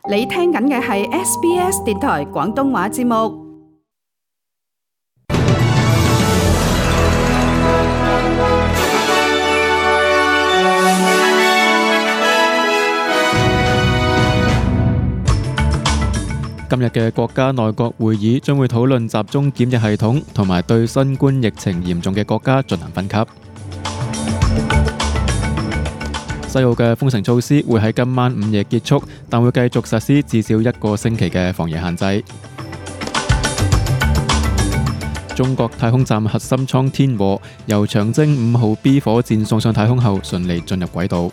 你聽緊嘅係 SBS 電台廣東話節目。今日嘅國家內閣會議將會討論集中檢疫系統同埋對新冠疫情嚴重嘅國家進行分級。西澳嘅封城措施會喺今晚午夜結束，但會繼續實施至少1個星期嘅防疫限制。中國太空站核心艙天和由長征5號 B 火箭送上太空後順利進入軌道。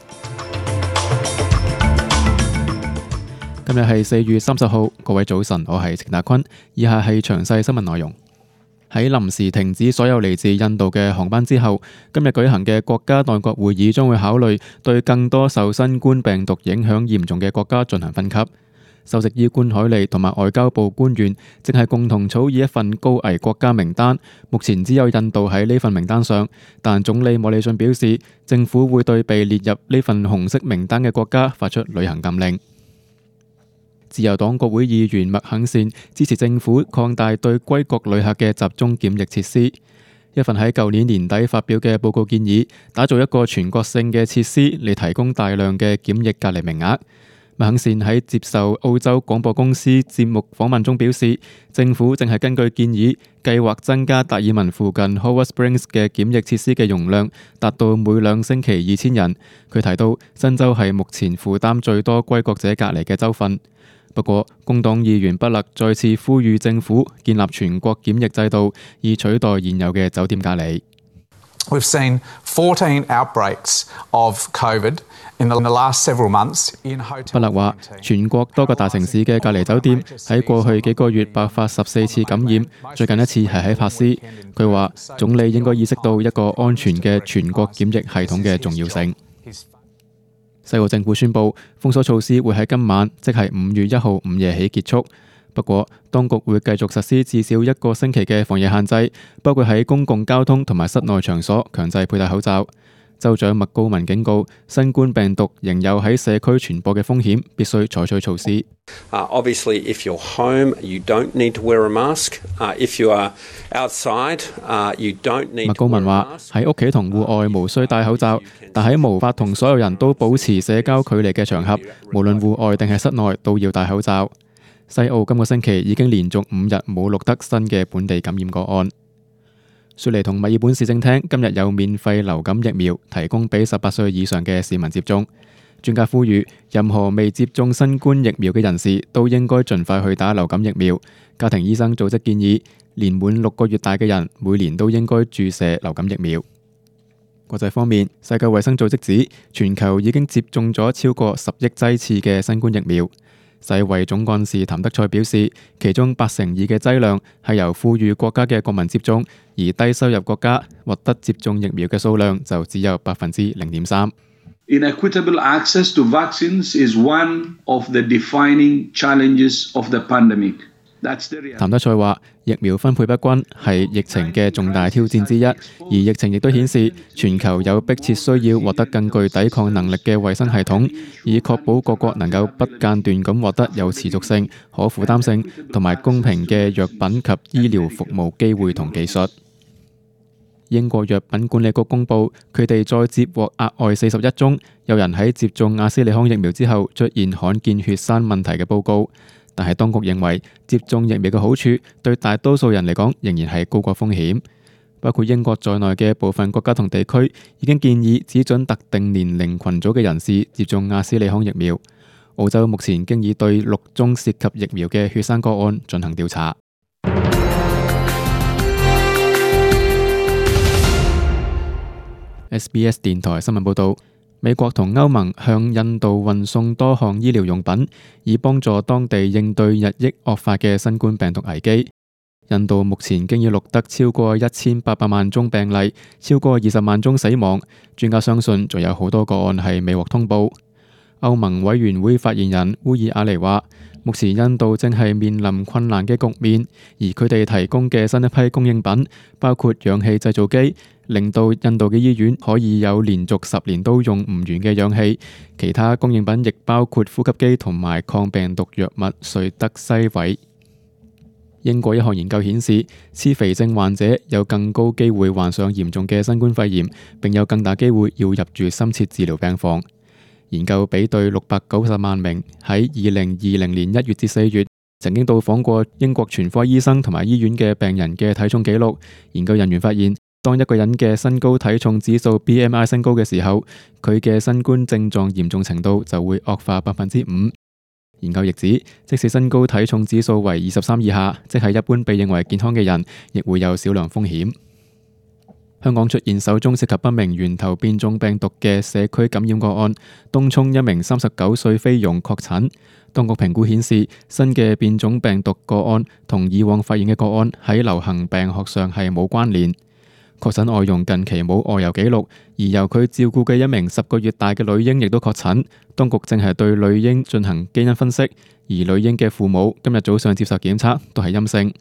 今日係4月30號，各位早晨，我係程達坤。以下係詳細新聞內容。喺臨時停止所有嚟自印度嘅航班之後，今日舉行嘅國家內閣會議將會考慮對更多受新冠病毒影響嚴重嘅國家進行分級。首席醫官海利同埋外交部官員正係共同草擬一份高危國家名單，目前只有印度喺呢份名單上，但總理莫里遜表示，政府會對被列入呢份紅色名單嘅國家發出旅行禁令。自由黨國會議員麥肯善支持政府擴大對歸國旅客嘅集中檢疫設施。一份喺舊年年底發表嘅報告建議，打造一個全國性嘅設施嚟提供大量嘅檢疫隔離名額。麥肯善喺接受澳洲廣播公司節目訪問中表示，政府正係根據建議計劃增加達爾文附近 Howard Springs 嘅檢疫設施嘅容量，達到每2星期2000人。佢提到，新州係目前負擔最多歸國者隔離嘅州份。不過，工黨議員不勒再次呼籲政府建立全國檢疫制度，以取代現有嘅酒店隔離。We've seen 14 outbreaks of COVID in the last several months in hotel. 不勒話，全國多個大城市嘅隔離酒店喺過去幾個月爆發14次感染，最近一次係喺珀斯。佢話，總理應該意識到一個安全嘅全國檢疫系統嘅重要性。西澳政府宣布封鎖措施會喺今晚，即係5月1號午夜起結束。不過，當局會繼續實施至少1個星期嘅防疫限制，包括喺公共交通同埋室內場所強制佩戴口罩。州長麥高文警告，新冠病毒仍有喺社區傳播嘅風險，必須採取措施。Obviously, if you're home, you don't need to wear a mask. If you are outside, you don't need to wear a mask. 麥高文話：喺屋企同戶外無需戴口罩，但喺無法同所有人都保持社交距離嘅場合，無論戶外定係室內都要戴口罩。西澳今個星期已經連續5日冇錄得新嘅本地感染個案。雪梨同墨爾本市政廳今日有免費流感疫苗提供俾18歲以上嘅市民接種。專家呼籲，任何未接種新冠疫苗嘅人士都應該盡快去打流感疫苗。家庭醫生組織建議，年滿6個月大嘅人每年都應該注射流感疫苗。國際方面，世界衛生組織指全球已經接種咗超過10億劑次嘅新冠疫苗。世衛總幹事譚德塞表示，其中82%嘅劑量係由富裕國家嘅國民接種，而低收入國家獲得接種疫苗嘅數量就只有0.3%。Inequitable access to vaccines is one of the defining challenges of the pandemic. 譚德塞話，疫苗分配不均係疫情嘅重大挑戰之一，而疫情亦都顯示全球有迫切需要獲得更具抵抗能力嘅衛生系統，以確保各國能夠不間斷咁獲得有持續性、可負擔性同埋公平嘅藥品及醫療服務機會同技術。英國藥品管理局公佈，佢哋再接獲額外41宗有人喺接種阿斯利康疫苗之後出現罕見血栓問題嘅報告。但係當局認為接種疫苗嘅好處對大多數人嚟講仍然係高過風險。包括英國在內嘅部分國家同地區已經建議只准特定年齡群組嘅人士接種阿斯利康疫苗。澳洲目前經已對6宗涉及疫苗嘅血栓個案進行調查。SBS 電台新聞報導。美國同歐盟向印度運送多項醫療用品，以幫助當地應對日益惡化嘅新冠病毒危機。印度目前經已錄得超過1800萬宗病例，超過20萬宗死亡。專家相信仲有好多個案係未獲通報。歐盟委員會發言人烏爾雅尼話，目前印度正係面臨困難嘅局面，而佢哋提供嘅新一批供應品，包括氧氣製造機，令到印度嘅醫院可以有連續10年都用唔完嘅氧氣。其他供應品亦包括呼吸機同埋抗病毒藥物瑞德西韋。英國一項研究顯示，痴肥症患者有更高機會患上嚴重嘅新冠肺炎，並有更大機會要入住深切治療病房。研究比對690萬名喺2020年1月至4月曾經到訪過英國全科醫生同埋醫院嘅病人嘅體重記錄。研究人員發現，當一個人嘅身高體重指數 BMI 升高嘅時候，佢嘅新冠症狀嚴重程度就會惡化5%。研究亦指，即使身高體重指數為23以下，即係一般被認為健康嘅人，亦會有少量風險。香港出現首宗涉及不明源頭變種病毒嘅社區感染個案，東涌一名39歲菲傭確診。當局評估顯示，新嘅變種病毒個案同以往發現嘅個案喺流行病學上係冇關聯。確診外傭近期冇外遊記錄，而由佢照顧嘅一名10個月大嘅女嬰亦都確診。當局正係對女嬰進行基因分析，而女嬰嘅父母今日早上接受檢測都係陰性。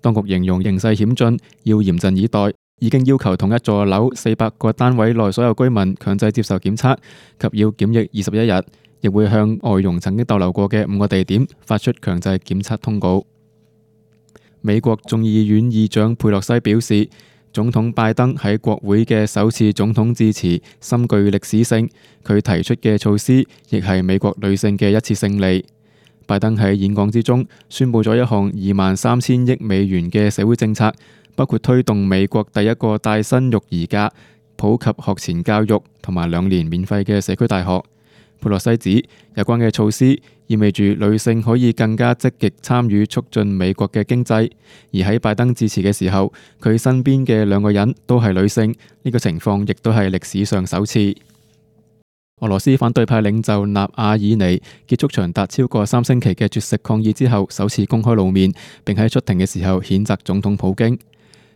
當局形容形勢險峻，要嚴陣以待。已經要求同一座樓400個單位內所有居民強制接受檢測及要檢疫21日，亦會向外傭曾經逗留過嘅5個地點發出強制檢測通告。美國眾議院議長佩洛西表示，總統拜登喺國會嘅首次總統致辭深具歷史性，佢提出嘅措施亦係美國女性嘅一次勝利。拜登喺演講之中宣布咗一項23,000億美元嘅社會政策，包括推動美國第一個帶薪育兒假、普及學前教育同埋2年免費嘅社區大學。佩洛西指有關嘅措施意味住女性可以更加積極參與促進美國嘅經濟，而喺拜登致辭嘅時候，佢身邊嘅2個人都係女性，呢個情況亦都係歷史上首次。俄羅斯反對派領袖納瓦爾尼結束長達超過3星期嘅絕食抗議之後，首次公開露面，並喺出庭嘅時候譴責總統普京。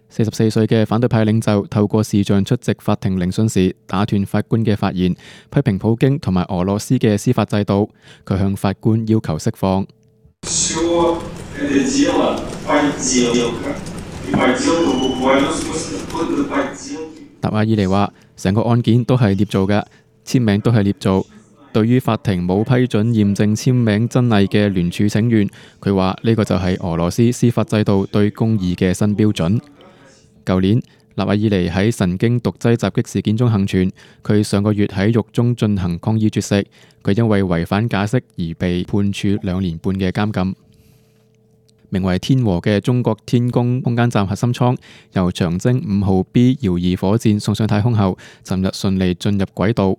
44歲嘅反對派領袖透過視像出席法庭聆訊時，打斷法官嘅發言，批評普京同埋俄羅斯嘅司法制度。佢向法官要求釋放。納瓦爾尼話：成個案件都係捏造嘅，簽名都係捏造。對於法庭冇批准驗證簽名真偽嘅聯署請願，佢話呢個就係俄羅斯司法制度對公義嘅新標準。舊年，納瓦爾尼喺神經毒劑襲擊事件中幸存。佢上個月喺獄中進行抗議絕食，佢因為違反假釋而被判處2年半嘅監禁。名為天和嘅中國天宮空間站核心艙由長征5號 B 遙2火箭送上太空後，尋日順利進入軌道。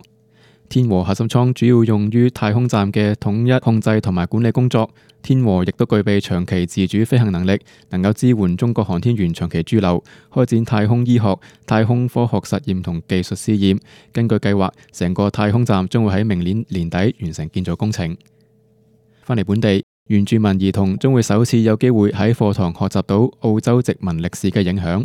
天和核心艙主要用於太空站嘅統一控制同埋管理工作。天和亦都具備長期自主飛行能力，能夠支援中國航天員長期駐留，開展太空醫學、太空科學實驗同技術試驗。根據計劃，成個太空站將會喺明年年底完成建造工程。返嚟本地，原住民兒童將會首次有機會喺課堂學習到澳洲殖民歷史嘅影響。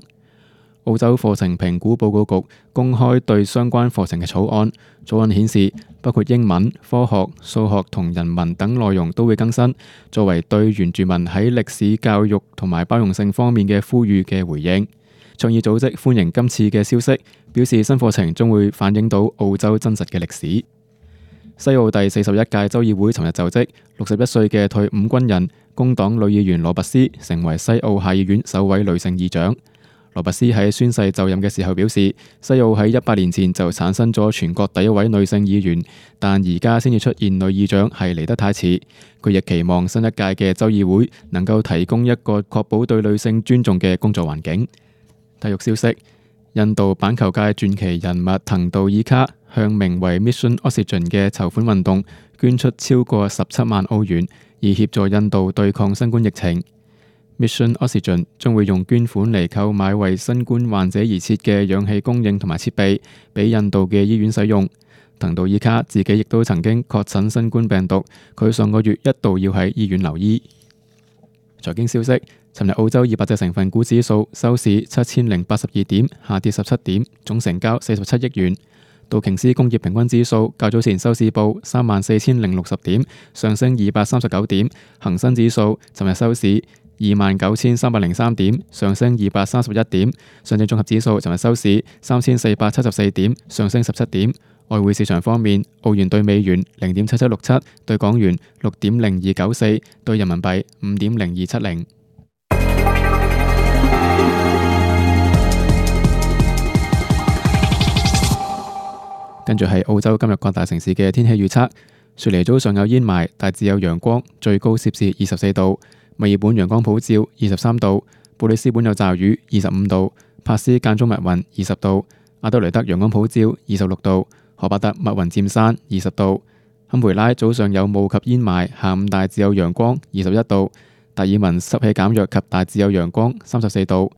澳洲課程評估報告局公開對相關課程嘅草案，草案顯示包括英文、科學、數學同人文等內容都會更新，作為對原住民喺歷史教育同埋包容性方面嘅呼籲嘅回應。倡議組織歡迎今次嘅消息，表示新課程將會反映到澳洲真實嘅歷史。西澳第41屆州議會尋日就職，61歲嘅退伍軍人工黨女議員羅拔斯成為西澳下議院首位女性議長。羅拔斯喺宣誓就任嘅時候表示，西澳喺100年前就產生咗全國第一位女性議員，但而家先至出現女議長係嚟得太遲。佢亦期望新一屆嘅州議會能夠提供一個確保對女性尊重嘅工作環境。體育消息：印度板球界傳奇人物藤道爾卡向名為 Mission Oxygen 嘅籌款運動捐出超過17萬澳元，以協助印度對抗新冠疫情。Mission Oxygen 將會用捐款嚟購買為新冠患者而設嘅氧氣供應同埋設備，俾印度嘅醫院使用。藤道爾卡自己亦都曾經確診新冠病毒，佢上個月一度要喺醫院留醫。財經消息：尋日澳洲200隻成分股指數收市7082點，下跌17點，總成交47億元。道瓊斯工業平均指數較早前收市報34,060點，上升239點；恒生指數尋日收市29,303點，上升231點；上證綜合指數尋日收市3,474點，上升17點。外匯市場方面，澳元對美元0.7767，對港元6.0294，對人民幣5.0270。跟住係澳洲今日各大城市嘅天氣預測：雪梨早上有煙霾，大致有陽光，最高攝氏24度；墨爾本陽光普照23度；布里斯本有驟雨25度；珀斯間中密雲20度；阿德雷德陽光普照26度；荷伯特密雲漸散20度；堪培拉早上有霧及煙霾，下午大致有陽光21度；達爾文濕氣減弱及大致有陽光34度。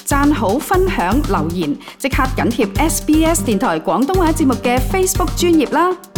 讚好、分享、留言，即刻緊貼SBS 電台廣東話節目嘅 Facebook 專頁啦！